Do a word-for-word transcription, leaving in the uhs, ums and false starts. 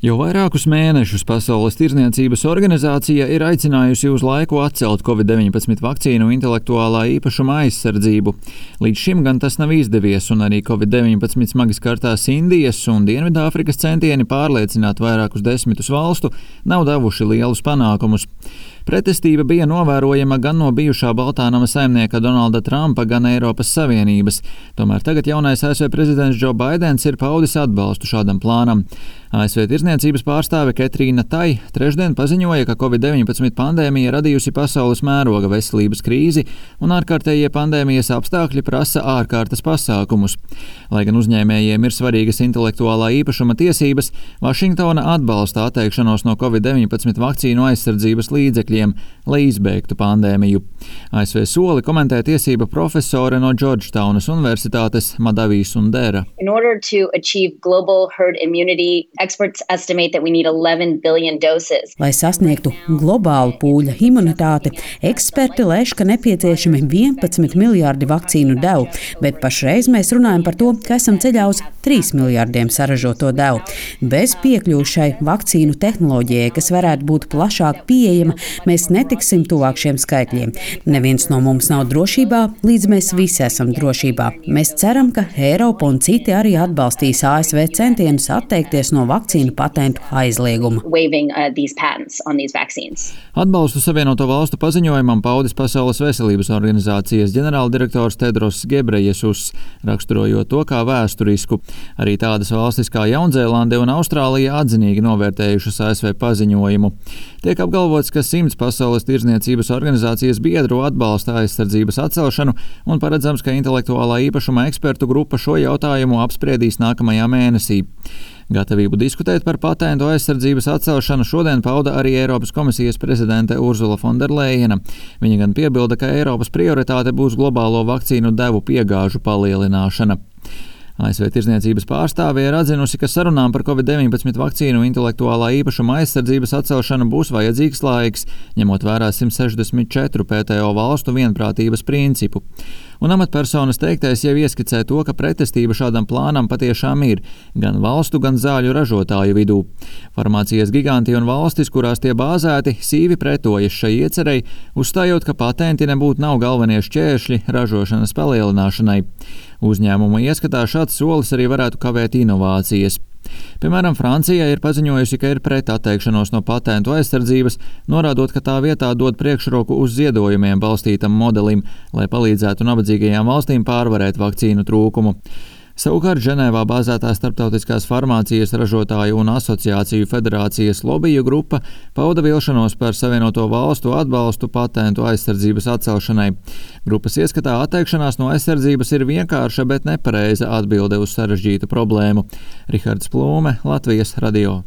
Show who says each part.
Speaker 1: Jau vairākus mēnešus Pasaules tirdzniecības organizācija ir aicinājusi uz laiku atcelt covid deviņpadsmit vakcīnu intelektuālā īpašuma aizsardzību. Līdz šim gan tas nav izdevies, un arī covid deviņpadsmit smagi skartās Indijas un Dienvidāfrikas centieni pārliecināt vairākus desmitus valstu nav devuši lielus panākumus. Pretestība bija novērojama gan no bijušā Baltānama saimnieka Donalda Trumpa, gan Eiropas Savienības. Tomēr tagad jaunais A S V prezidents Džo Baidens ir paudis atbalstu šādam plānam. A S V tirdzniecības pārstāve Ketrīna Tai trešdien paziņoja, ka covid deviņpadsmit pandēmija radījusi pasaules mēroga veselības krīzi un ārkārtējie pandēmijas apstākļi prasa ārkārtas pasākumus. Lai gan uzņēmējiem ir svarīgas intelektuālā īpašuma tiesības, Vašingtona atbalsta atteikšanos no covid deviņpadsmit vakcīnu aizsardzības līdzekļiem, lai izbeigtu pandēmiju. A S V soli komentē tiesība profesore no Džordžtaunas Universitātes Madavī Sundera.
Speaker 2: In order to achieve global herd immunity, experts estimate that we need eleven billion doses.
Speaker 3: Lai sasniegtu globālu pūļa imunitāti, eksperti lēš, ka nepieciešami vienpadsmit miljārdi vakcīnu devu, bet pašreiz mēs runājam par to, ka esam ceļā uz trīs miljārdiem saražoto devu. Bez piekļūšai vakcīnu tehnoloģijai, kas varētu būt plašāk pieejama, mēs netiksim tuvāk šiem skaitļiem. Neviens no mums nav drošībā, līdz mēs visi esam drošībā. Mēs ceram, ka Eiropa un citi arī atbalstīs A S V centienus atteikties no vakcīnu patentu aizlieguma.
Speaker 2: Waiving, uh, these patents on these vaccines.
Speaker 1: Atbalstu Savienoto Valstu paziņojumam paudis Pasaules veselības organizācijas ģenerāldirektors Tedros Gebrejesus, raksturojot to kā vēsturisku. Arī tādas valstis kā Jaunzēlande un Austrālija atzinīgi novērtējušas A S V paziņojumu. Tiek apgalvots, ka simts Pasaules tirdzniecības organizācijas biedru atbalsta aizsardzības atcelšanu un paredzams, ka intelektuālā īpašuma ekspertu grupa šo jautājumu apspriedīs nākamajā mēnesī. Gatavību diskutēt par patentu aizsardzības atcelšanu šodien pauda arī Eiropas komisijas prezidente Ursula Fonderlejena. Viņa gan piebilda, ka Eiropas prioritāte būs globālo vakcīnu devu piegāžu palielināšana. A S V tirdzniecības pārstāve ir atzinusi, ka sarunām par covid deviņpadsmit vakcīnu intelektuālā īpašuma aizsardzības atcelšanu būs vajadzīgs laiks, ņemot vērā simt sešdesmit četru P T O valstu vienprātības principu. Un amatpersonas teiktais jau ieskicē to, ka pretestība šādam plānam patiešām ir gan valstu, gan zāļu ražotāju vidū. Farmācijas giganti un valstis, kurās tie bāzēti, sīvi pretojas šai iecerei, uzstājot, ka patenti nebūtu nav galvenie šķēršļi ražošanas palielināšanai. Uzņēmuma ieskatā šāds solis arī varētu kavēt inovācijas. Piemēram, Francija ir paziņojusi, ka ir pret atteikšanos no patentu aizsardzības, norādot, ka tā vietā dod priekšroku uz ziedojumiem balstītam modelim, lai palīdzētu nabadzīgajām valstīm pārvarēt vakcīnu trūkumu. Savukārt Ženēvā bāzētā Starptautiskās farmācijas ražotāju un asociāciju federācijas lobiju grupa pauda vilšanos par Savienoto Valstu atbalstu patentu aizsardzības atcelšanai. Grupas ieskatā atteikšanās no aizsardzības ir vienkārša, bet nepareiza atbilde uz sarežģītu problēmu. Rihards Plūme, Latvijas radio.